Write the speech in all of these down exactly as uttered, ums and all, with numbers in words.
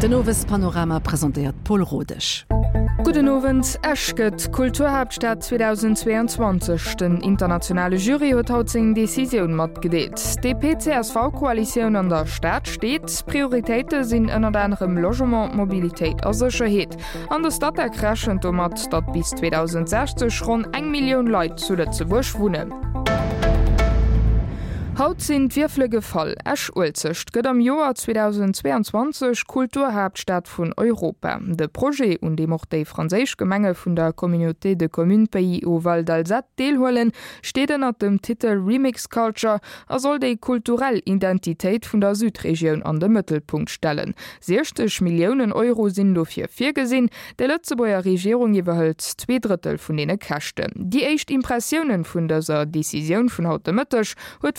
Den Owespanorama presentéiert Paul Rodesch. Gudden Owend, Esch gëtt Kulturhaaptstad zweedausendzweeanzwanzeg. Den internationale Jury huet haut seng Decisioun matgedeelt. D'DP-CSV-Koalitioun an der Stad steet. Prioritéite sinn ënnert anerem Logement, Mobilitéit a Sécherheet. An de Statec rechent domat, datt bis zweedausendsechzeg ronn eng Millioun Leit zu Lëtzebuerg wunnen. Haut sinn d'Wierfele gefall, Esch-Uelzecht gëtt am Joer zweedausendzweeanzwanzeg Kulturhaaptstad vun Europa. De Projet, un deem och déi franséisch Gemenge vun der Communauté de communes Pays Haut Val d'Alzette deelhuelen, steet ënnert dem Titel Remix Culture a soll déi kulturell Identitéit vun der Südregioun an de Mëttelpunkt stellen. siechzeg Milliounen Euro sinn dofir virgesinn, déi Lëtzebuerger Regierung iwwerhëlt zwee Drëttel vun deene Käschten. Déi éischt Impressiounen vun dëser Decisioun vun haut de Mëtteg huet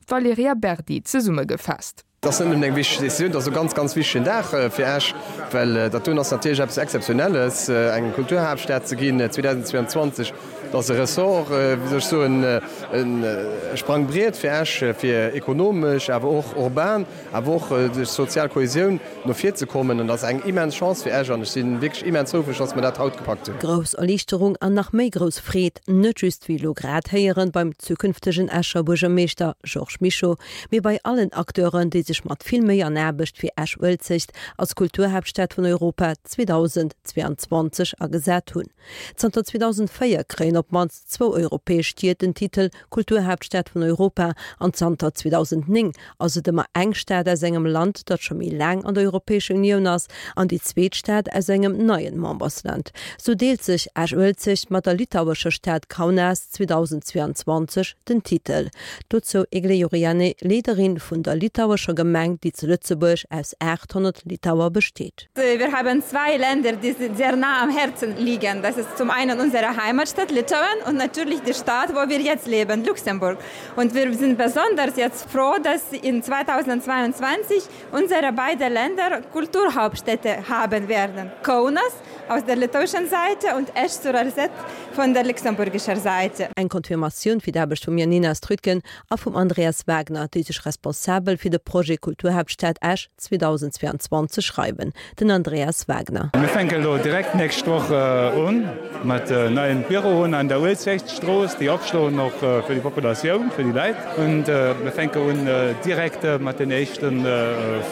d'Valerija Berdi zesummegefaasst. Et ass net nëmmen eng wichteg Decisioun, et ass e ganz, ganz wichtegen Dag fir Esch, well dat doen ass natierlech eppes Exzeptionelles, eng Kulturhaaptstad ze ginn zweedausendzweeanzwanzeg. Dat ass e Ressort, wéi soll ech soen, e Sprangbriet fir Esch, fir ekonomesch, awer och urban, awer och duerch sozial Kohesioun no vir ze kommen. An dat ass eng immens Chance fir Esch an ech si wierklech immens houfreg, dass mer dat haut gepackt hunn. Grouss Erliichterung an nach méi grouss Freed, net just, wéi elo grad héieren, beim zukünftegen Escher Buergermeeschter Georges Mischo, mee bei allen Acteuren, déi sech mat vill Méi an Aarbecht fir Esch-Uelzecht als Kulturhaaptstad vun Europa zweedausendzweeanzwanzeg agesat hunn. Zanter zweedausendvéier kréien op d'mannst zwou europäesch Stied den Titel Kulturhaaptstad vun Europa an zanter zweedausendnéng ass et ëmmer eng Stad aus engem Land, dat scho méi laang an der Europäescher Unioun ass, an déi zweet Stad aus engem neien Membersland. Sou deelt sech Esch-Uelzecht mat der litauescher Stad Kaunas zweedausendzweeanzwanzeg den Titel. Dozou Eglė Jurėnienė, Leederin vun der litauescher Gemeng, déi zu Lëtzebuerg aus aathonnert Litauer besteet. Wir haben zwei Länder, die sehr nah am Herzen liegen. Das ist zum einen unsere Heimatstadt Litauen und natürlich die Stadt, wo wir jetzt leben, Luxemburg. Und wir sind besonders jetzt froh, dass in zweitausendzweiundzwanzig unsere beiden Länder Kulturhauptstädte haben werden. Kaunas aus der litauischen Seite und Esch-sur-Alzette von der luxemburgischer Seite. Eng Confirmatioun fir d'Aarbecht vum Janina Strütgen a vum Andreas Wagner, déi sech responsabel fir de Projet Kulturhaaptstad Esch zweedausendzweeanzwanzeg schreiwen. Den Andreas Wagner. Mir fänken elo direkt d'nächst Woch un mat neien Büroen an der Uelzechtstrooss, déi opschloen och fir déi Populatioun, fir déi Leit. Und mir fänken un direkt mat den éischte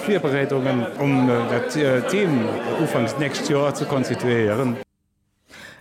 Virbereedungen, um dat Team ufanks d'nächst Joer ze konstituéieren.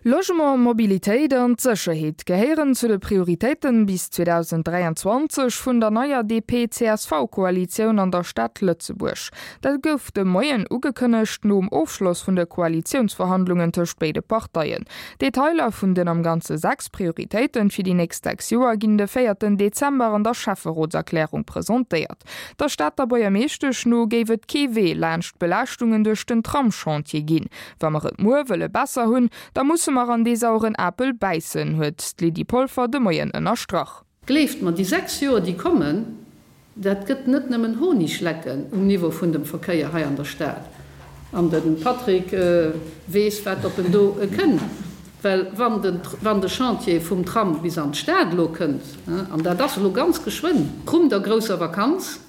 Logement, Mobilitéit an d'Sécherheet gehéieren zu de Prioritéiten bis zweedausenddräianzwanzeg vun der neier D P C S V-Koalitioun an der Stad Lëtzebuerg. Dat gouf de Moien ugekënnegt nom Ofschloss vun de Koalitiounsverhandlungen tëscht béide Parteien. Detailer vun den am Ganze sechs Prioritéiten fir déi nächst sechs Joer ginn de véierten Dezember an der Schäfferotserklärung presentéiert. Der Stater Buergermeeschtesch no géif et kee Wee laanscht Belaaschtungen duerch den Tramschantier ginn. Wa mer et muer wëlle besser hunn, da musse mer an dee saueren Apel bäissen, huet d'Lydie Polfer de Moien ënnerstrach. Gleeft mer, déi sechs Joer, déi kommen, dat gëtt net nëmmen Honiglecken um Niveau vun dem Verkéier hei an der Stad. An de Patrick weess, wat op en do kënnt. Well wann den, wann de Chantier vum Tram bis an d'Stad elo kënnt, an dat ass elo ganz geschwënn, vrun der grousser Vakanz,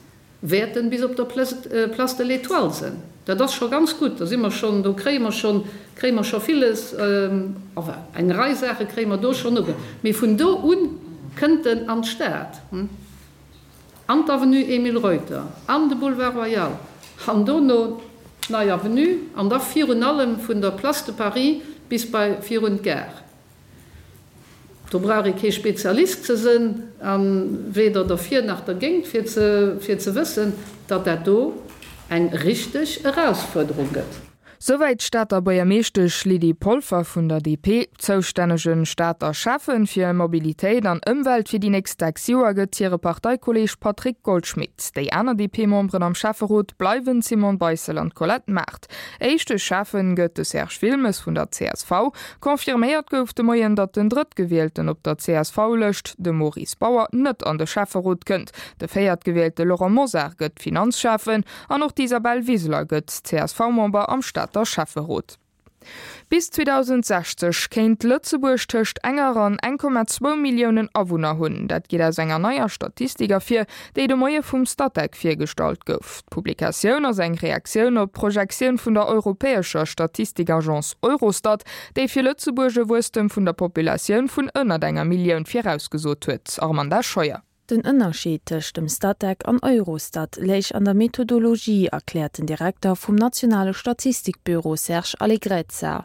wäert en bis op der Place de l'Étoile sinn. Dat ass scho ganz gutt, do si mer schonn, do kréie mer schonn, kréie mer scho villes, enfin eng Rei Saache kréie mer do schonn uge. Mee vun do u kënnt en an d'Stad, an d'Avenue Emile Reuter, an de Boulevard Royal, an dono d'Nei Avenue an da virun allem vun der Place de Paris bis bei virun d'Gare. Do brauch ee kee Spezialist ze sënn, a weder derfir nach dergéint, fir ze fir ze wëssen, datt dat do eng richteg Erausfuerderung gëtt. Souwäit d'Stater Buergermeeschtesch Lydie Polfer vun der D P. Zoustännege Stater Schäffen fir Mobilitéit an Ëmwelt fir déi nächst sechs Joer gëtt hire Parteikolleeg Patrick Goldschmidt. Déi aner D P-Memberen am Schäfferot bleiwen d'Simone Beissel an d'Colette Mart. Éischte Schäffen gëtt de Serge Wilmes vun der C S V. Confirméiert gouf de Moien, datt den Drëttgewielten op der C S V-Lëscht, de Maurice Bauer, net an de Schäfferot kënnt. De Véiertgewielte Laurent Mosar gëtt Finanzschäffen an och d'Isabel Wiseler gëtt C S V-Member am Stater Schäfferot. Bis zweedausendsechzeg kéint Lëtzebuerg tëscht enger an eng Komma zwou Milliounen Awunner hunn. Dat geet aus enger neier Statistik ervir, déi de Moie vum Statec virgestallt gouf. D'Publikatioun ass eng Reaktioun op d'Projektioun vun der europäescher Statistikagence Eurostat, déi fir Lëtzebuerg e Wuesstem vun der Populatioun vun ënnert enger Millioun virausgesot huet. Armanda Scheuer. Den Ënnerscheed tëscht dem Statec an Eurostat léich an der Methodologie, erkläert den Direkter vum nationale Statistikbüro Serge Allegrezza.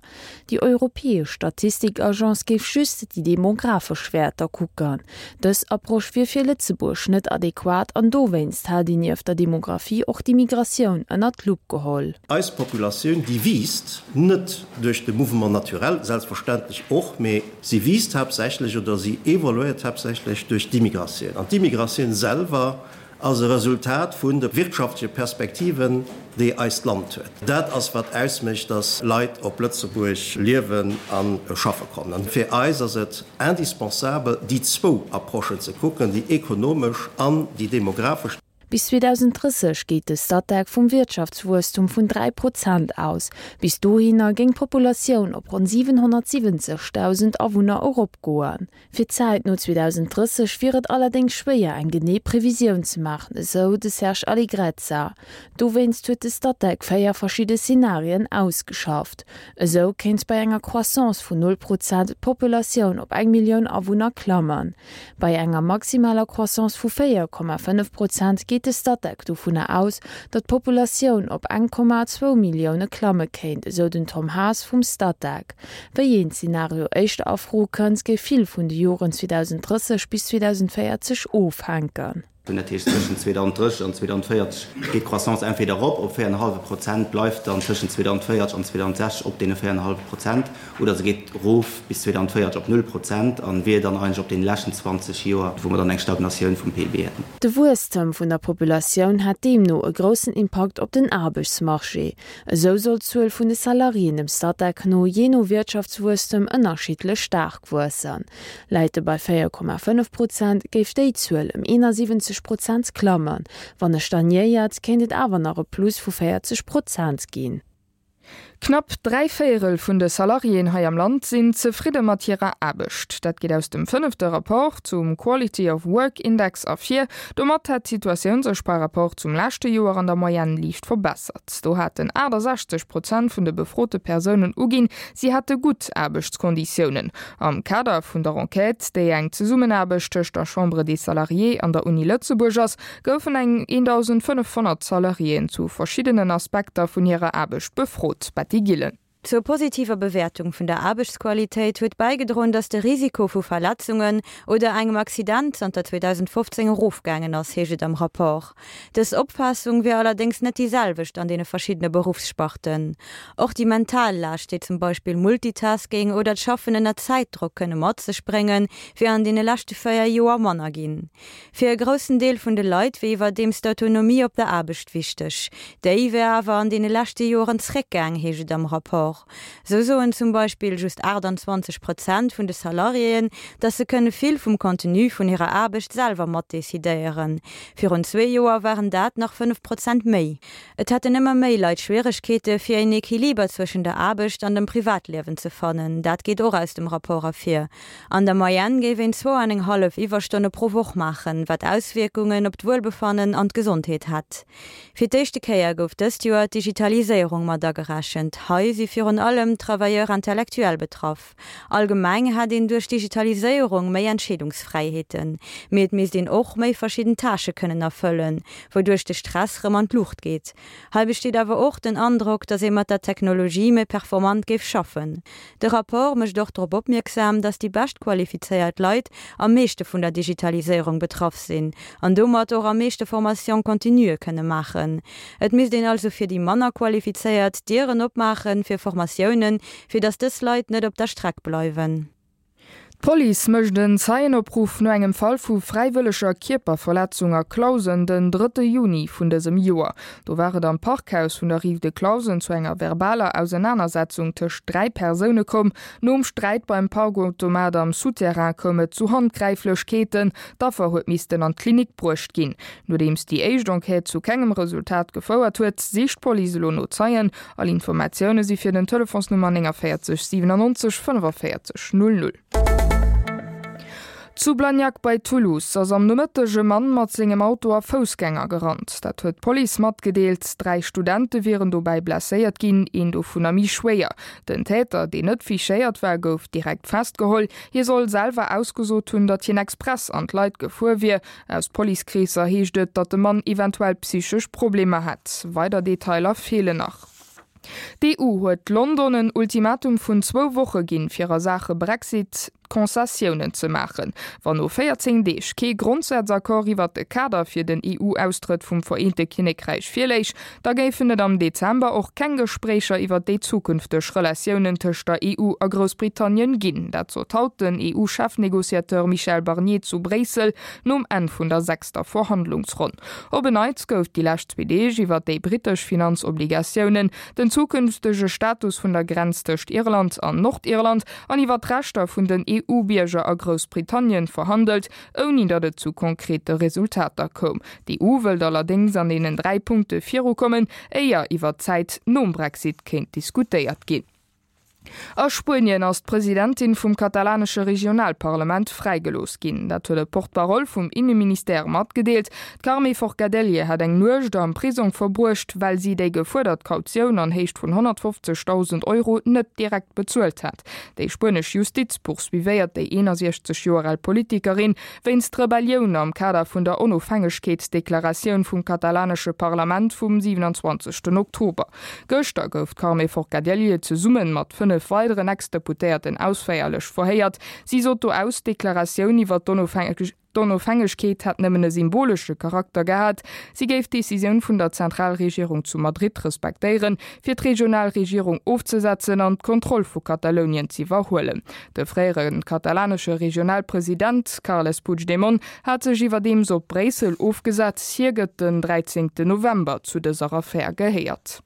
Déi europäesch Statistikagence géif just déi demografesch Wäerter kucken. Dës Approche wier fir Lëtzebuerg net adequat an dowéinst hätt een nieft der Demografie och d'Immigratioun ënnert d'Lupp geholl. Eis Populatioun, déi wiisst, net duerch de Mouvement naturel, selbstverständlech och, mee si wiisst haaptsächlech oder si evoluéiert haaptsächlech duerch d'Immigratioun. An d'Immigratioun selwer ass e Resultat vun de wirtschaftleche Perspektiven, déi eist Land huet. Dat ass, wat ausmécht, dass Leit op Lëtzebuerg liewen a schaffe kommen. An fir eis ass et indispensabel, déi zwou Approchen ze kucken, déi ekonomesch an déi demografesch. Bis zweedausenddrësseg geet de Statec vum Wirtschaftswuesstum vun dräi Prozent aus. Bis dohinner géing d'Populatioun op ronn siwenhonnertsiwwenzegdausend Awunner eropgoen. Fir d'Zäit no zweedausenddrësseg wier et allerdéngs schwéier eng genee Previsioun ze maachen, esou de Serge Allegrezza. Dowéinst huet de Statec véier verschidde Szenarien ausgeschafft. Esou kéint bei enger Croissance vun null Prozent d'Populatioun op eng Millioun Awunner klammen. Bei enger maximaler Croissance vu véier Komma fënnef Prozent geet de Statec dovunner aus, datt d'Populatioun op eng Komma zwou Millioune klamme kéint, esou den Tom Haas vum Statec. Wéi een Zenario éischter a Fro kënnt, géif vill vun de Joren zweedausenddrësseg bis zweedausenvéierzeg ofhänken. Dat heescht, tëschent zweedausenddrësseg an zweedausenvéierzeg geet d'Croissance entweder erop op véier an e hallwe Prozent, bleift dann tëschent zweedausenvéierzeg an zweedausendsechzeg op deene véier an e hallwe Prozent, oder se geet erof bis zweedausenvéierzeg op null Prozent a wier dann eigentlech op deene leschten zwanzeg Joer, wou mer dann eng Stagnatioun vum P I B hätten. De Wuesstem vun der Populatioun hätt deemno e groussen Impakt op den Aarbechtsmarché. Esou soll d'Zuel vun de Salariéen dem Statec no jee no Wirtschaftswuesstem ënnerschiddlech staark wuessen. Läit e bei véier Komma fënnef Prozent, géif déi Zuel ëm eenasiwwenzeg Prozent klammen. Wann e stagnéiert, kéint et awer nach e Plus vu véierzeg Prozent ginn. Knapp dräi Véierel vun de Salariéen hei am Land sinn zefridde mat hirer Aarbecht. Dat geet aus dem fënnefte Rapport zum Quality of Work Index ervir. Domat hätt d'Situatioun sech par rapport zum leschte Joer an der Moyenne liicht verbessert. Do haten achtesechzeg Prozent vun de befrote Persounen uginn, si hätte gutt Aarbechtskonditiounen. Am Kader vun der Enquête, déi eng Zesummenaarbecht tëscht der Chambre des Salariés an der Uni Lëtzebuerg ass, goufen eng eendausendfënnefhonnert Salariéen zu verschiddenen Aspekter vun hirer Aarbecht befrot. Betty Gillen. Zur positiver Bewäertung vun der Aarbechtsqualitéit huet bäigedroen, datt de Risiko vu Verletzungen oder engem Accident zanter zweedausendfofzéng erofgaangen ass, heescht et am Rapport. Dës Opfaassung wier allerdéngs net déi selwecht an deene verschiddene Beruffssparten. Och déi mental Laascht, déi zum Beispill Multitasking oder d'Schaffen ënner Zäitdrock kënne mat sech bréngen, wier an deene leschte véier Joer manner ginn. Fir e groussen Deel vun de Leit wier iwwerdeems d'Autonomie op der Aarbecht wichteg. Déi wier awer an deene leschte Joren zréckgaang, heescht et am Rapport. Sou soen zum Beispill just achtanzwanzeg Prozent vun de Salariéen, datt se kënne vill vum Contenu vun hirer Aarbecht selwer matdecidéieren. Virun zwee Joer waren dat nach fënnef Prozent méi. Et hätten ëmmer méi Leit Schwieregkeete fir een Equiliber zwëschen der Aarbecht an dem Privatliewen ze fannen. Dat geet och aus dem Rapport ervir. An der Moyenne géif een zwou an eng hallef Iwwerstonne pro Woch maachen, wat Auswierkungen op d'Wuelbefannen an d'Gesondheet hätt. Fir d'éischte Kéier gouf dëst Joer d'Digitaliséierung mat agerechent. Hei si virun allem d'Travailleurs intellectuels betraff. Allgemeng hätt een duerch d'Digitaliséierung méi Entscheedungsfräiheeten, mee et misst een och méi verschidden Tâchë kënnen erfëllen, wouduerch de Stress rëm an d'Luucht geet. Hei besteet awer och den Androck, datt ee mat der Technologie méi performant géif schaffen. De Rapport mécht och drop opmierksam, datt déi bescht qualifizéiert Leit am meeschte vun der Digitaliséierung betraff sinn an domat och am meeschte Formation continue kënne maachen. Et misst een also fir déi manner qualifizéiert d'Dieren opmaachen fir Formatiounen, fir datt dës Leit net op der Streck bleiwen. D'Police mécht en Zeienopruff no engem Fall vu fräiwëlleger Kierperverletzung a Clausen den drëtte Juni vun dësem Joer. Do war et am Parkhaus vun der Rive de Clausen zu enger verbaler Ausenanersetzung tëscht dräi Persoune komm. Nom Sträit beim Parkautomat am Souterrain koum et zu Handgräiflechkeeten. D'Affer huet missten an d'Klinik bruecht ginn. Nodeems déi éischt Enquête zu kengem Resultat gefouert huet, sicht d'Police elo no Zeien. All Informatioune si fir den Telefonsnummer néngavéierzeg siwenannonzeg fënnefaféierzeg null null. Zu Blagnac bei Toulouse ass am Nomëtteg e Mann mat sengem Auto a Foussgänger gerannt. Dat huet d'Police matgedeelt. Dräi Studente wieren dobäi blesséiert ginn, een dovunner méi schwéier. Den Täter, deen net fichéiert war, gouf direkt festgeholl. Hie soll selwer ausgesot hunn, datt hien express an d'Leit gefuer wier. Aus Policekreesser heescht et, datt de Mann eventuell psychesch Problemer hätt. Weider Detailer feelen nach. D'EU huet London en Ultimatum vun zwou Woche ginn, fir a Saache Brexit Konzessiounen ze maachen. Wann no véierzéng Deeg kee Grondsazaccord iwwert de Kader fir den E U-Austrëtt vum Vereente Kinnekräich virléich, da géifen et am Dezember och keng Gespréicher iwwert déi zukünfteg Relatiounen tëscht der E U a Groussbritannien ginn. Dat sot haut den E U-Chefnegociateur Michel Barnier zu Bréissel nom Enn vun der sechster Verhandlungsronn. Op en Neits gouf déi lescht zwee Deeg iwwer déi brittesch Finanzobligatiounen, den zukünftege Status vun der Grenz tëscht Irland an Nordirland an iwwer d'Rechter vun den E U-Bierger a Groussbritannien verhandelt, ouni datt et zu konkrete Resultater koum. D'E U wëllt allerdéngs an deenen dräi Punkte virukommen, éier iwwer d'Zäit nom Brexit kéint diskutéiert ginn. A Spuenien ass d'Presidentin vum katalanesche Regionalparlament fräigelooss ginn. Dat huet e Porte-parole vum Inneministère matgedeelt. D'Carme Forcadell hat eng Nuecht am Prisong verbruecht, well si déi gefuerdert Kautioun an Héicht vun honnertfofzegdausend Euro net direkt bezuelt hat. Déi spuenesch Justiz poursuivéiert déi eenasiechzeg Joer al Politikerin wéinst Rebellioun am Kader vun der Onofhängegkeetsdeklaratioun vum katalanesche Parlament vum siewenundzwanzegsten Oktober. Gëschter gouf d'Carme Forcadell zesumme mat fënnef weideren Ex-Deputéierten ausféierlech verhéiert. Si sot do aus, d'Deklaratioun iwwer d'Onofhängegkeet hätt nëmmen e symbolesche Charakter gehat. Si géif d'Decisioun vun der Zentralregierung zu Madrid respektéieren, fir d'Regionalregierung ofzesetzen an d'Kontroll vu Katalounien z'iwwerhuelen. De fréiere katalanesche Regionalpresident Carles Puigdemont hat sech iwwerdeems op Bréissel ofgesat. Hie gëtt den dräizéngten November zu dëser Affär gehéiert.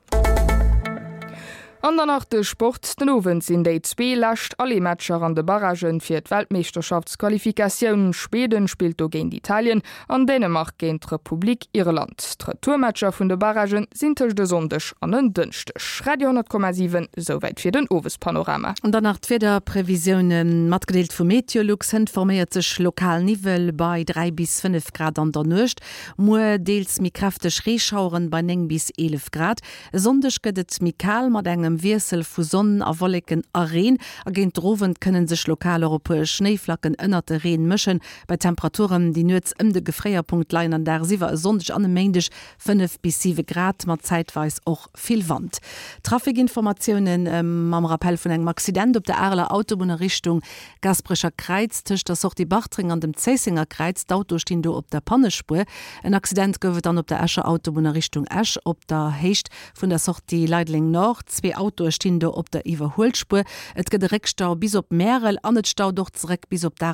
An dann nach de Sport, Den Owend sinn déi zwee lescht Aller-Matcher an de Barragen fir d'Weltmeeschterschaftsqualifikatioun. Schweden spillt do géint Italien an Dänemark géint d'Republik Irland. D'Retourmatcher vun de Barragen sinn tëscht e Sonndeg an en Dënschdeg. Radio honnert Komma siwen, Souwäit fir den Owespanorama. An dann nach d'Wiederprevisiounen, matgedeelt vu Meteolux. Hënt forméiert sech lokal Niwwel bei dräi bis fënnef Grad an der Nuecht. Muer deels méi kräfteg Reeschaueren bei néng bis eelef Grad. E Sonndeg gëtt et méi kal mat engem Wiessel vu Sonn a Wolleken a Reen a géint den Owend kënne sech lokal och e puer Schnéiflacken ënnert de Reen mëschen. Bei Temperaturen, déi nuets ëm de Gefréierpunkt leien an dagsiwwer e Sonndeg an e Méindeg fënnef bis siwe Grad mat zäitweis och vill Wand. Trafikinformatiounen mam Rappell vun engem Accident op der Areler Autobunn a Richtung Gasperecher Kräiz tëscht der Sortie Bartreng an dem Zéissenger Kräiz. D'Autoe stinn do op der Pannespuer. En Accident gouf et dann op der Escher Autobunn a Richtung Esch op der Héicht vun der Sortie Leideleng Nord. Zwee Autoe stinn do op der Iwwerhuelspuer. Et gëtt e Réckstau bis op Märel an et staut och zeréck bis op